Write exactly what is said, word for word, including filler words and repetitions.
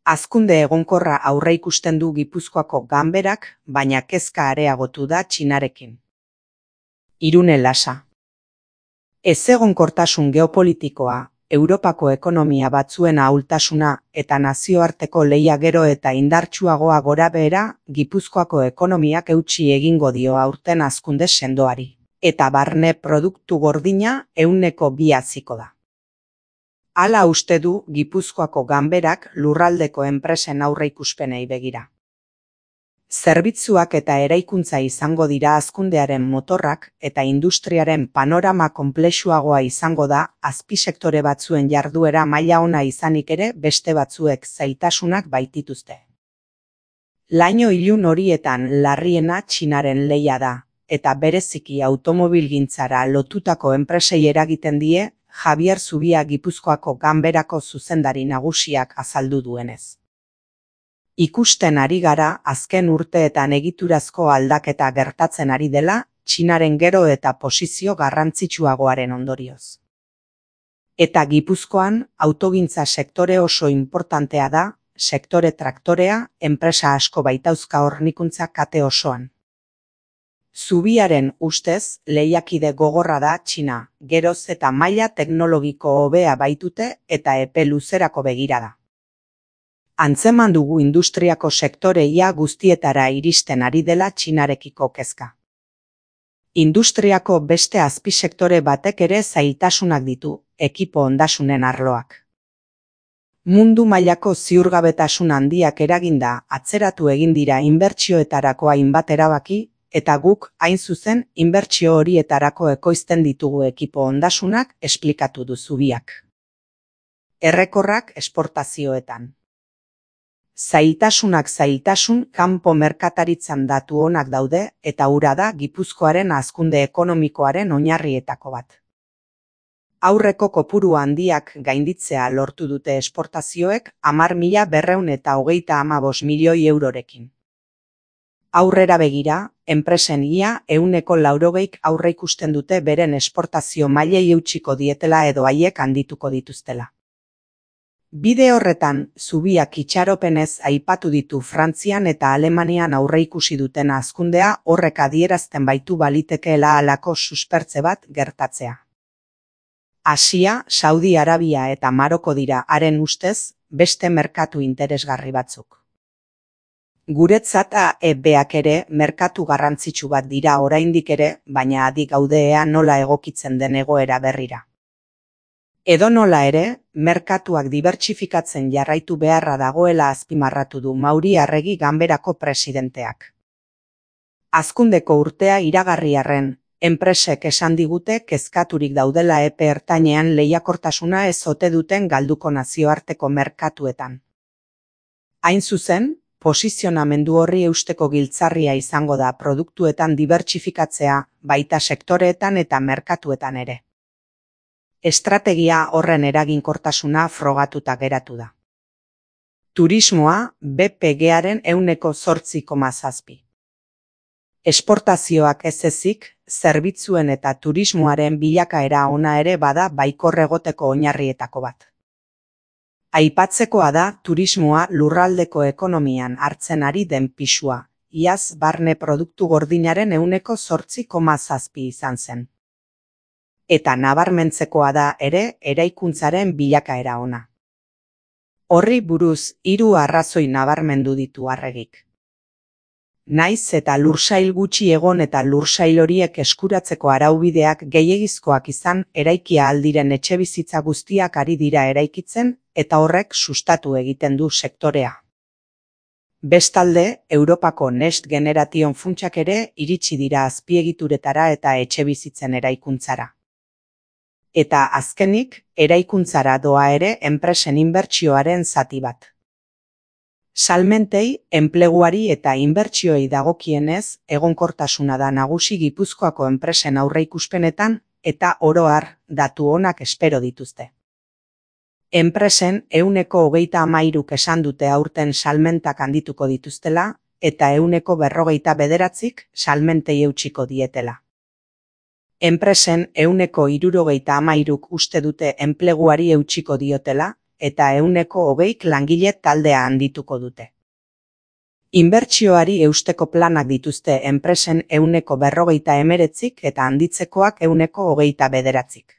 Hazkunde egonkorra aurreikusten du Gipuzkoako ganberak, baina kezka areagotu da Txinarekin. Irune Lasa. Ezegonkortasun geopolitikoa, Europako ekonomia batzuen ahultasuna eta nazioarteko lehia gero eta indartsuagoa gorabehera, Gipuzkoako ekonomiak eutsi egingo dio aurten hazkunde sendoari, eta barne produktu gordina ehuneko bi haziko da. Hala uste du Gipuzkoako ganberak lurraldeko enpresen aurreikuspenei begira. Zerbitzuak eta eraikuntza izango dira hazkundearen motorrak eta industriaren panorama konplexuagoa izango da azpisektore batzuen jarduera maila ona izanik ere beste batzuek zailtasunak baitituzte. Laino ilun horietan larriena Txinaren lehia da, eta bereziki automobilgintzara lotutako enpresei eragiten die Javier Zubia Gipuzkoako ganberako zuzendari nagusiak azaldu duenez. Ikusten ari gara azken urteetan egiturazko aldaketa gertatzen ari dela Txinaren gero eta posizio garrantzitsuagoaren ondorioz. Eta Gipuzkoan autogintza sektore oso inportantea da, sektore traktorea, enpresa asko baitauzka hornikuntza kate osoan. Zubiaren ustez lehiakide gogorra da Txina, geroz eta maila teknologiko hobea baitute eta epe luzerako begirada. Antzeman dugu industriako sektoreia guztietara iristen ari dela Txinarekiko kezka. Industriako beste azpisektore batek ere zailtasunak ditu, ekipo ondasunen arloak. Mundu mailako ziurgabetasun handiak eraginda atzeratu egin dira inbertsioetarako hainbat erabaki, eta guk, hain zuzen, inbertsio horietarako ekoizten ditugu ekipo ondasunak esplikatu du Zubiak. Errekorrak esportazioetan. Zailtasunak zailtasun kanpo merkataritzan datu onak daude eta hura da Gipuzkoaren hazkunde ekonomikoaren oinarrietako bat. Aurreko kopuru handiak gainditzea lortu dute esportazioek hamar mila berrehun eta hogeita hamabost milioi eurorekin. Aurrera begira, enpresen ia ehuneko laurogeik aurreikusten dute beren esportazio mailei eutsiko dietela edo haiek handituko dituztela. Bide horretan, Zubiak itxaropenez aipatu ditu Frantzian eta Alemanian aurreikusi duten hazkundea horrek adierazten baitu balitekeela halako suspertze bat gertatzea. Asia, Saudi Arabia eta Maroko dira haren ustez beste merkatu interesgarri batzuk. Guretzat A E Beak ere merkatu garrantzitsu bat dira oraindik ere, baina adi gaude ea nola egokitzen den egoera berrira. Edonola ere, merkatuak dibertsifikatzen jarraitu beharra dagoela azpimarratu du Mauri Arregi ganberako presidenteak. Hazkundeko urtea iragarri arren, enpresek esan digute kezkaturik daudela epe ertainean lehiakortasuna ez ote duten galduko nazioarteko merkatuetan. Hain zuzen, posizionamendu horri eusteko giltzarria izango da produktuetan dibertsifikatzea, baita sektoreetan eta merkatuetan ere. Estrategia horren eraginkortasuna frogatuta geratu da. Turismoa B P Garen ehuneko zortzi koma zazpi. Esportazioak ez ezik, zerbitzuen eta turismoaren bilakaera ona ere bada baikor egoteko oinarrietako bat. Aipatzekoa da turismoa lurraldeko ekonomian hartzen ari den pisua, iaz barne produktu gordinaren ehuneko zortzi koma zazpi izan zen. Eta nabarmentzekoa da ere eraikuntzaren bilakaera ona. Horri buruz hiru arrazoi nabarmendu ditu Arregik. Naiz eta lursail gutxi egon eta lursail horiek eskuratzeko araubideak gehiegizkoak izan eraikia aldiren etxebizitza guztiak ari dira eraikitzen eta horrek sustatu egiten du sektorea. Bestalde, Europako Next Generation funtsak ere iritsi dira azpiegituretara eta etxebizitzen eraikuntzara. Eta azkenik, eraikuntzara doa ere enpresen inbertsioaren zati bat. Salmentei, enpleguari eta inbertsioi dagokienez, egonkortasuna da nagusi Gipuzkoako enpresen aurreikuspenetan eta oro har datu onak espero dituzte. Enpresen ehuneko hogeita hamairuk esan dute aurten salmentak handituko dituztela eta ehuneko berrogeita bederatzik salmentei eutsiko dietela. Enpresen ehuneko hirurogeita hamairuk uste dute enpleguari eutsiko diotela eta ehuneko hogeik langile taldea handituko dute. Inbertsioari eusteko planak dituzte enpresen ehuneko berrogeita hemeretzik eta handitzekoak ehuneko hogeita bederatzik.